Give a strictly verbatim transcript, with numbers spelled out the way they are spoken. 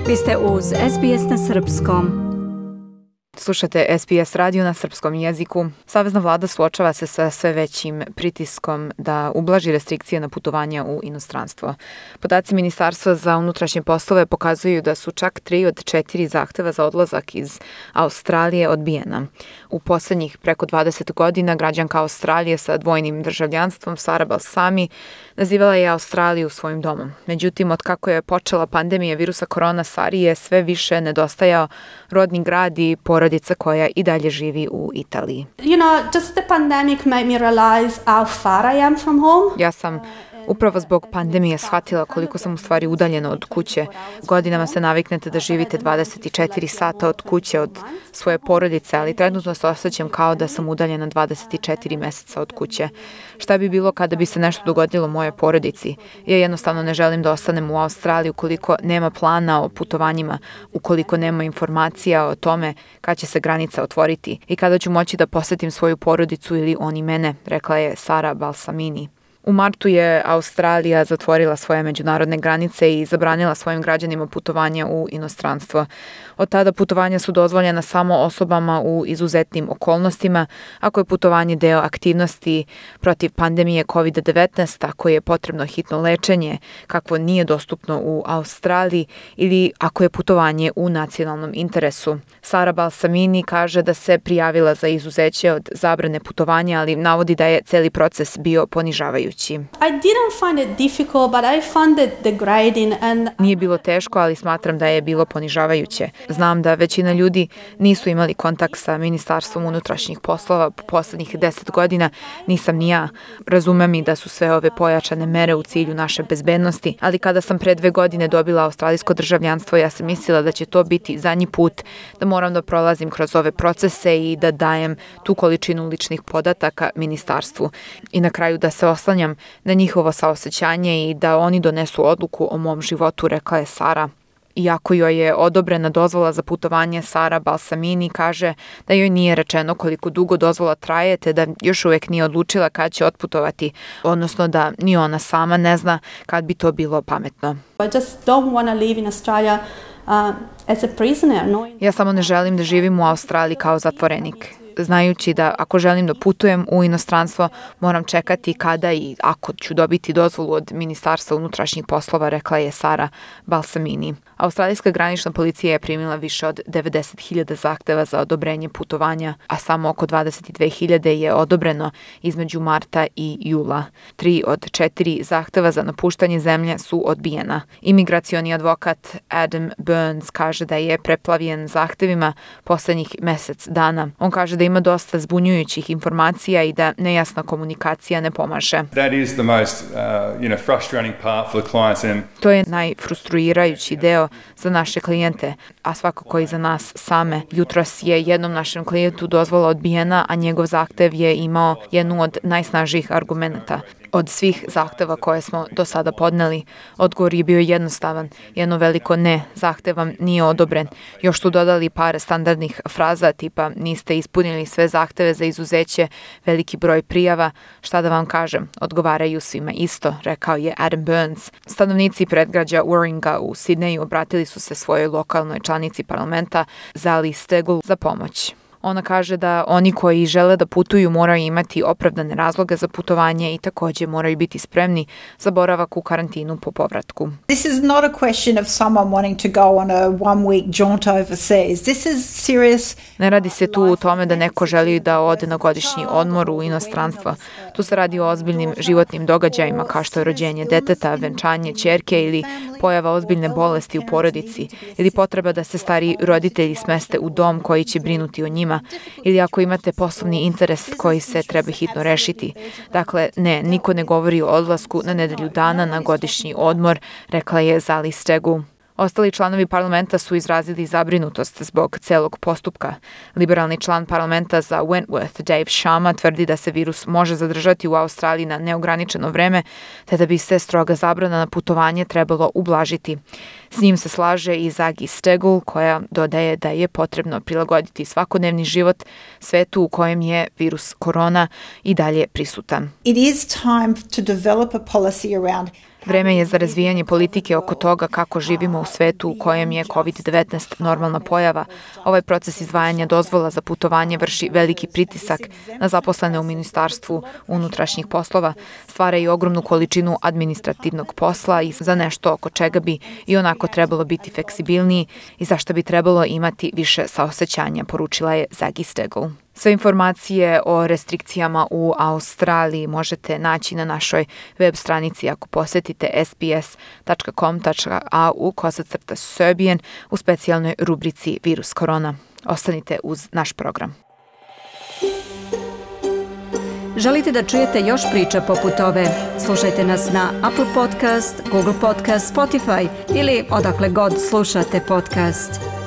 Vi ste uz S B S na srpskom. Slušate S B S radio na srpskom jeziku. Savezna vlada suočava se sa sve većim pritiskom da ublaži restrikcije na putovanja u inostranstvo. Podaci Ministarstva za unutrašnje poslove pokazuju da su čak tri od četiri zahteva za odlazak iz Australije odbijena. U poslednjih preko dvadeset godina građanka Australije sa dvojnim državljanstvom Sara Balsami nazivala je Australiju svojim domom. Međutim, od kako je počela pandemija virusa korona, Sari je sve više nedostajao rodni grad i porodica koja i dalje živi u Italiji. You know, just the pandemic made me realize how far I am from home. Ja sam upravo zbog pandemije shvatila koliko sam u stvari udaljena od kuće. Godinama se naviknete da živite dvadeset četiri sata od kuće, od svoje porodice, ali trenutno se osjećam kao da sam udaljena dvadeset četiri meseca od kuće. Šta bi bilo kada bi se nešto dogodilo mojoj porodici? Ja jednostavno ne želim da ostanem u Australiji ukoliko nema plana o putovanjima, ukoliko nema informacija o tome kad će se granica otvoriti i kada ću moći da posetim svoju porodicu ili oni mene, rekla je Sara Balsamini. U martu je Australija zatvorila svoje međunarodne granice i zabranila svojim građanima putovanja u inostranstvo. Od tada putovanja su dozvoljena samo osobama u izuzetnim okolnostima, ako je putovanje deo aktivnosti protiv pandemije kovid devetnaest, ako je potrebno hitno lečenje, kakvo nije dostupno u Australiji, ili ako je putovanje u nacionalnom interesu. Sara Balsamini kaže da se prijavila za izuzeće od zabrane putovanja, ali navodi da je celi proces bio ponižavajući. I didn't find it difficult, but I found it degrading and Nije bilo teško, ali smatram da je bilo ponižavajuće. Znam da većina ljudi nisu imali kontakt sa Ministarstvom unutrašnjih poslova po poslednjih deset godina, nisam ni ja. Razumem i da su sve ove pojačane mere u cilju naše bezbednosti, ali kada sam pre dve godine dobila australijsko državljanstvo, ja sam mislila da će to biti zadnji put, da moram da prolazim kroz ove procese i da dajem tu količinu ličnih podataka ministarstvu i na kraju da se oslanjam na njihovo saosećanje i da oni donesu odluku o mom životu, rekla je Sara. Iako joj je odobrena dozvola za putovanje, Sara Balsamini kaže da joj nije rečeno koliko dugo dozvola traje, te da još uvek nije odlučila kad će otputovati, odnosno da ni ona sama ne zna kad bi to bilo pametno. I just don't want to live in Australia uh, as a prisoner. knowing- Ja samo ne želim da živim u Australiji kao zatvorenik, znajući da ako želim da putujem u inostranstvo, moram čekati kada i ako ću dobiti dozvolu od Ministarstva unutrašnjih poslova, rekla je Sara Balsamini. Australijska granična policija je primila više od devedeset hiljada zahteva za odobrenje putovanja, a samo oko dvadeset dve hiljade je odobreno između marta i jula. Tri od četiri zahteva za napuštanje zemlje su odbijena. Imigracioni advokat Adam Burns kaže da je preplavljen zahtevima poslednjih mesec dana. On kaže da ima dosta zbunjujućih informacija i da nejasna komunikacija ne pomaže. That is the most, uh, you know, frustrating part for the clients. And To je najfrustruirajući deo za naše klijente, a svakako i za nas same. Jutros je jednom našem klijentu dozvola odbijena, a njegov zahtev je imao jednu od najsnažnijih argumenata. Od svih zahteva koje smo do sada podneli, odgovor je bio jednostavan, jedno veliko ne, zahtev vam nije odobren. Još su dodali par standardnih fraza tipa niste ispunili sve zahteve za izuzeće, veliki broj prijava, šta da vam kažem, odgovaraju svima isto, rekao je Adam Burns. Stanovnici predgrađa Warringa u Sidneju obratili su se svojoj lokalnoj članici parlamenta Zali Steggall za pomoć. Ona kaže da oni koji žele da putuju moraju imati opravdane razloge za putovanje i takođe moraju biti spremni za boravak u karantinu po povratku. This is not a question of someone wanting to go on a one week jaunt overseas. This is serious. Ne radi se tu o tome da neko želi da ode na godišnji odmor u inostranstvo. Tu se radi o ozbiljnim životnim događajima kao što je rođenje deteta, venčanje ćerke ili pojava ozbiljne bolesti u porodici ili potreba da se stariji roditelji smeste u dom koji će brinuti o njima ili ako imate poslovni interes koji se treba hitno rešiti. Dakle, ne, niko ne govori o odlasku na nedelju dana na godišnji odmor, rekla je Zali Steggall. Ostali članovi parlamenta su izrazili zabrinutost zbog celog postupka. Liberalni član parlamenta za Wentworth, Dave Sharma, tvrdi da se virus može zadržati u Australiji na neograničeno vreme, te da bi se stroga zabrana na putovanje trebalo ublažiti. S njim se slaže i Zagi Steggall, koja dodaje da je potrebno prilagoditi svakodnevni život svetu u kojem je virus korona i dalje prisutan. It is time to develop a policy around Vreme je za razvijanje politike oko toga kako živimo u svetu u kojem je kovid devetnaest normalna pojava. Ovaj proces izdvajanja dozvola za putovanje vrši veliki pritisak na zaposlene u Ministarstvu unutrašnjih poslova, stvara i ogromnu količinu administrativnog posla i za nešto oko čega bi i onako trebalo biti fleksibilniji i za što bi trebalo imati više saosećanja, poručila je Zagi Stegl. Sve informacije o restrikcijama u Australiji možete naći na našoj web stranici ako posetite s b s dot com dot a u kosacrta Serbian u specijalnoj rubrici Virus korona. Ostanite uz naš program. Želite da čujete još priča poput ove? Slušajte nas na Apple Podcast, Google Podcast, Spotify ili odakle god slušate podcast.